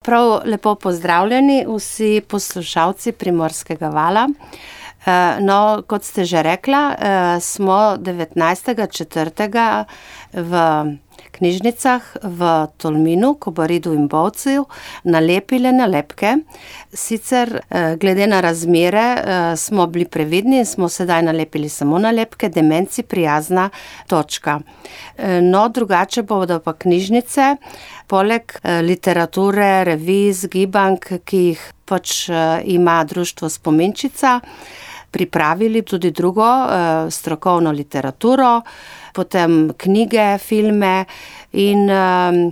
Prav lepo pozdravljeni vsi poslušalci Primorskega vala. No, kot ste že rekla, smo 19.4. v knjižnicah v Tolminu, Kobaridu in Bovcu nalepile nalepke. Sicer glede na razmere smo bili previdni in smo sedaj nalepili samo nalepke Demenci prijazna točka. No, drugače bodo pa knjižnice, poleg literature, revij, zgibank, ki jih pač ima društvo Spominčica, pripravili tudi drugo strokovno literaturo, potem knjige, filme in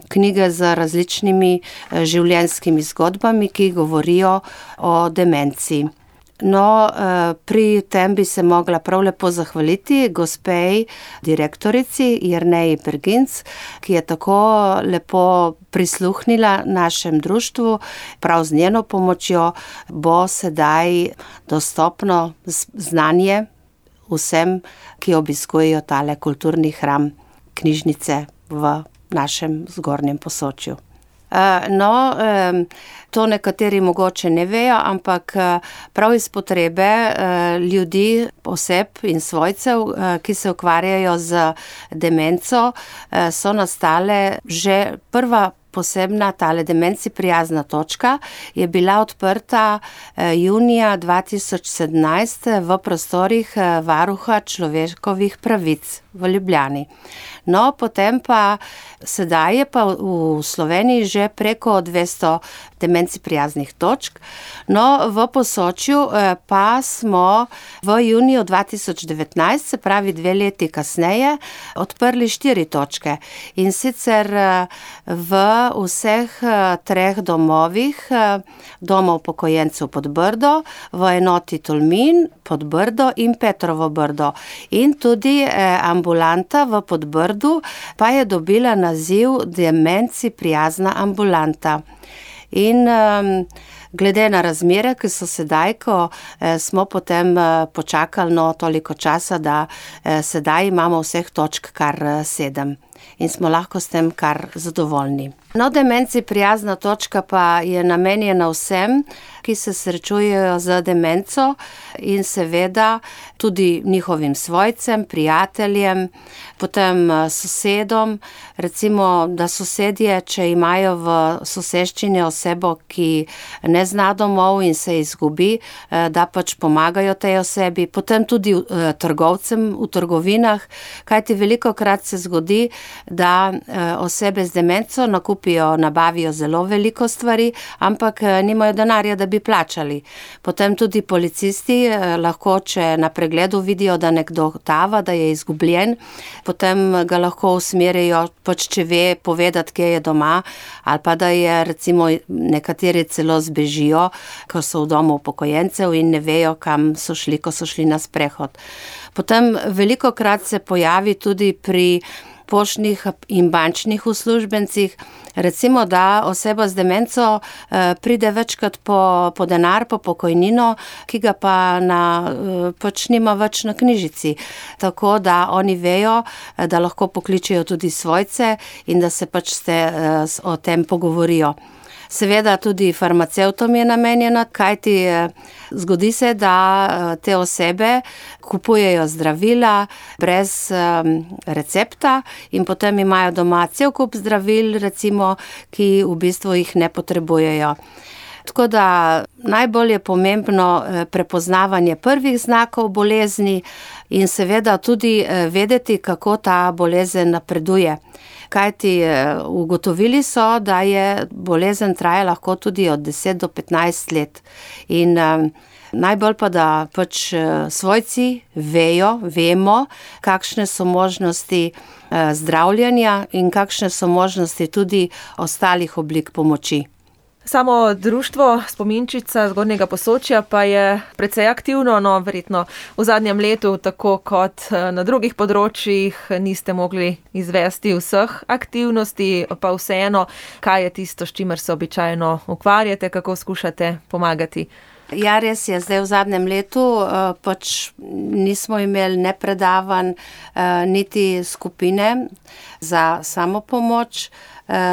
knjige z različnimi življenjskimi zgodbami, ki govorijo o demenci. No, pri tem bi se mogla prav lepo zahvaliti gospej direktorici Jerneji Berginc, ki je tako lepo prisluhnila našem društvu. Prav z njeno pomočjo bo sedaj dostopno znanje vsem, ki obiskujejo tale kulturni hram knjižnice v našem Zgornjem Posočju. No, to nekateri mogoče ne vejo, ampak prav iz potrebe ljudi, oseb in svojcev, ki se ukvarjajo z demenco, so nastale že prva posebna tale Demenci prijazna točka je bila odprta junija 2017 v prostorih Varuha človekovih pravic v Ljubljani. No, potem pa sedaj je pa v Sloveniji že preko 200 Demenci prijaznih točk. No, v Posočju pa smo v juniju 2019, se pravi 2 leti kasneje, odprli 4 točke. In sicer v vseh 3 domovih, domov upokojencev Podbrdo, v enoti Tolmin, Podbrdo in Petrovo Brdo. In tudi ambulanta v Podbrdu pa je dobila naziv Demenci prijazna ambulanta. In glede na razmere, ki so sedaj, ko smo potem počakali toliko časa, da sedaj imamo vseh točk kar 7 in smo lahko s tem kar zadovoljni. No, Demenci prijazna točka pa je namenjena vsem, ki se srečujejo z demenco in seveda tudi njihovim svojcem, prijateljem, potem sosedom. Recimo, da sosedje, če imajo v soseščini osebo, ki ne zna domov in se izgubi, da pač pomagajo tej osebi. Potem tudi trgovcem v trgovinah, kajti velikokrat se zgodi, da osebe z demenco nabavijo zelo veliko stvari, ampak nimajo denarja, da bi plačali. Potem tudi policisti lahko, če na pregledu vidijo, da nekdo tava, da je izgubljen, potem ga lahko usmerijo, pač če ve povedati, kje je doma, ali pa da je recimo nekateri celo zbežijo, ko so v domu upokojencev in ne vejo, kam so šli, ko so šli na sprehod. Potem velikokrat se pojavi tudi pri poštnih in bančnih uslužbencih, recimo, da oseba z demenco pride večkrat po denar, po pokojnino, ki ga pa pač nima več na knjižici. Tako da oni vejo, da lahko pokličejo tudi svojce in da se pač o tem pogovorijo. Seveda tudi farmacevtom je namenjena, kajti zgodi se, da te osebe kupujejo zdravila brez recepta in potem imajo doma cel kup zdravil, recimo, ki v bistvu jih ne potrebujejo. Tako da najbolj je pomembno prepoznavanje prvih znakov bolezni in seveda tudi vedeti, kako ta bolezen napreduje. Kajti ugotovili so, da je bolezen traja lahko tudi od 10 do 15 let. In najbolj pa, da pač svojci vemo, kakšne so možnosti zdravljenja in kakšne so možnosti tudi ostalih oblik pomoči. Samo društvo Spominčica Zgornjega Posočja pa je precej aktivno, no verjetno v zadnjem letu, tako kot na drugih področjih, niste mogli izvesti vseh aktivnosti, pa vseeno, kaj je tisto, s čimer se običajno ukvarjate, kako skušate pomagati? Ja, res je, zdaj v zadnjem letu pač nismo imeli ne predavanj, niti skupine za samopomoč.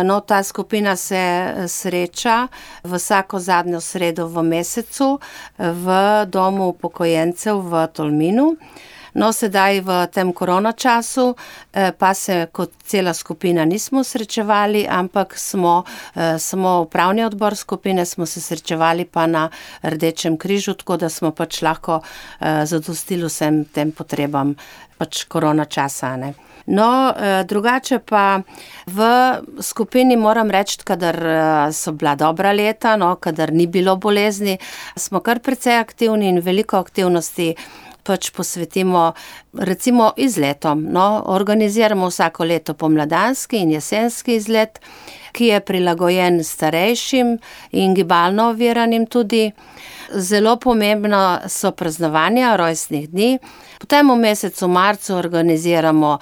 No, ta skupina se sreča vsako zadnjo sredo v mesecu v domu upokojencev v Tolminu. No, sedaj v tem koronačasu pa se kot cela skupina nismo srečevali, ampak smo upravni odbor skupine, smo se srečevali pa na Rdečem križu, tako da smo pač lahko zadostili vsem tem potrebam pač koronačasa, ne. No, drugače pa v skupini moram reči, kadar so bila dobra leta, no, kadar ni bilo bolezni, smo kar precej aktivni in veliko aktivnosti pač posvetimo recimo izletom. No, organiziramo vsako leto pomladanski in jesenski izlet, ki je prilagojen starejšim in gibalno oviranim tudi. Zelo pomembno so praznovanja rojstnih dni. Potem v mesecu marcu organiziramo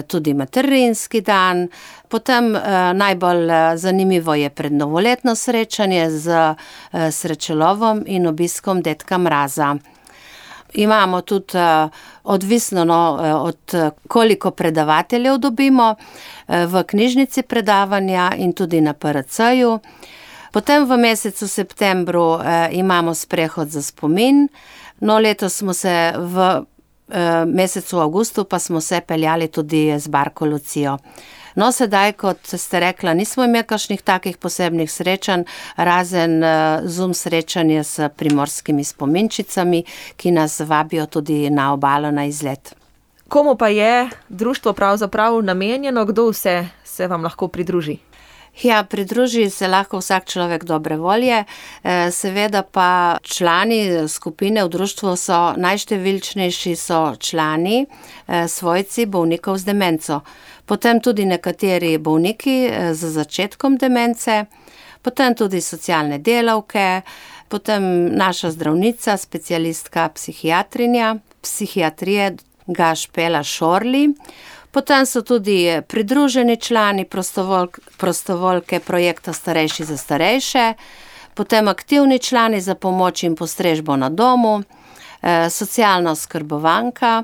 tudi materinski dan. Potem najbolj zanimivo je prednovoletno srečanje z srečelovom in obiskom dedka Mraza. Imamo tudi, odvisno od koliko predavateljev dobimo, v knjižnici predavanja in tudi na PRC-ju. Potem v mesecu septembru imamo sprehod za spomin. No, letos smo se v mesecu avgustu pa smo se peljali tudi z barko Lucijo. No, sedaj, kot ste rekla, nismo imeli kakšnih takih posebnih srečanj, razen Zoom srečanje s primorskimi spominčicami, ki nas vabijo tudi na obalo na izlet. Komu pa je društvo pravzaprav namenjeno, kdo vse se vam lahko pridruži? Ja, pridruži se lahko vsak človek dobre volje, seveda pa člani skupine v društvu so najštevilčnejši so člani, svojci bolnikov z demenco. Potem tudi nekateri bolniki z začetkom demence, potem tudi socialne delavke, potem naša zdravnica, specialistka psihiatrije Gašpela Šorli. Potem so tudi pridruženi člani prostovoljke projekta Starejši za starejše, potem aktivni člani za pomoč in postrežbo na domu, socialna oskrbovanka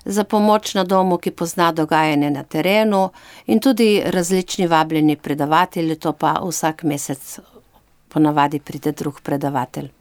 za pomoč na domu, ki pozna dogajanje na terenu, in tudi različni vabljeni predavatelji, to pa vsak mesec ponavadi pride drug predavatelj.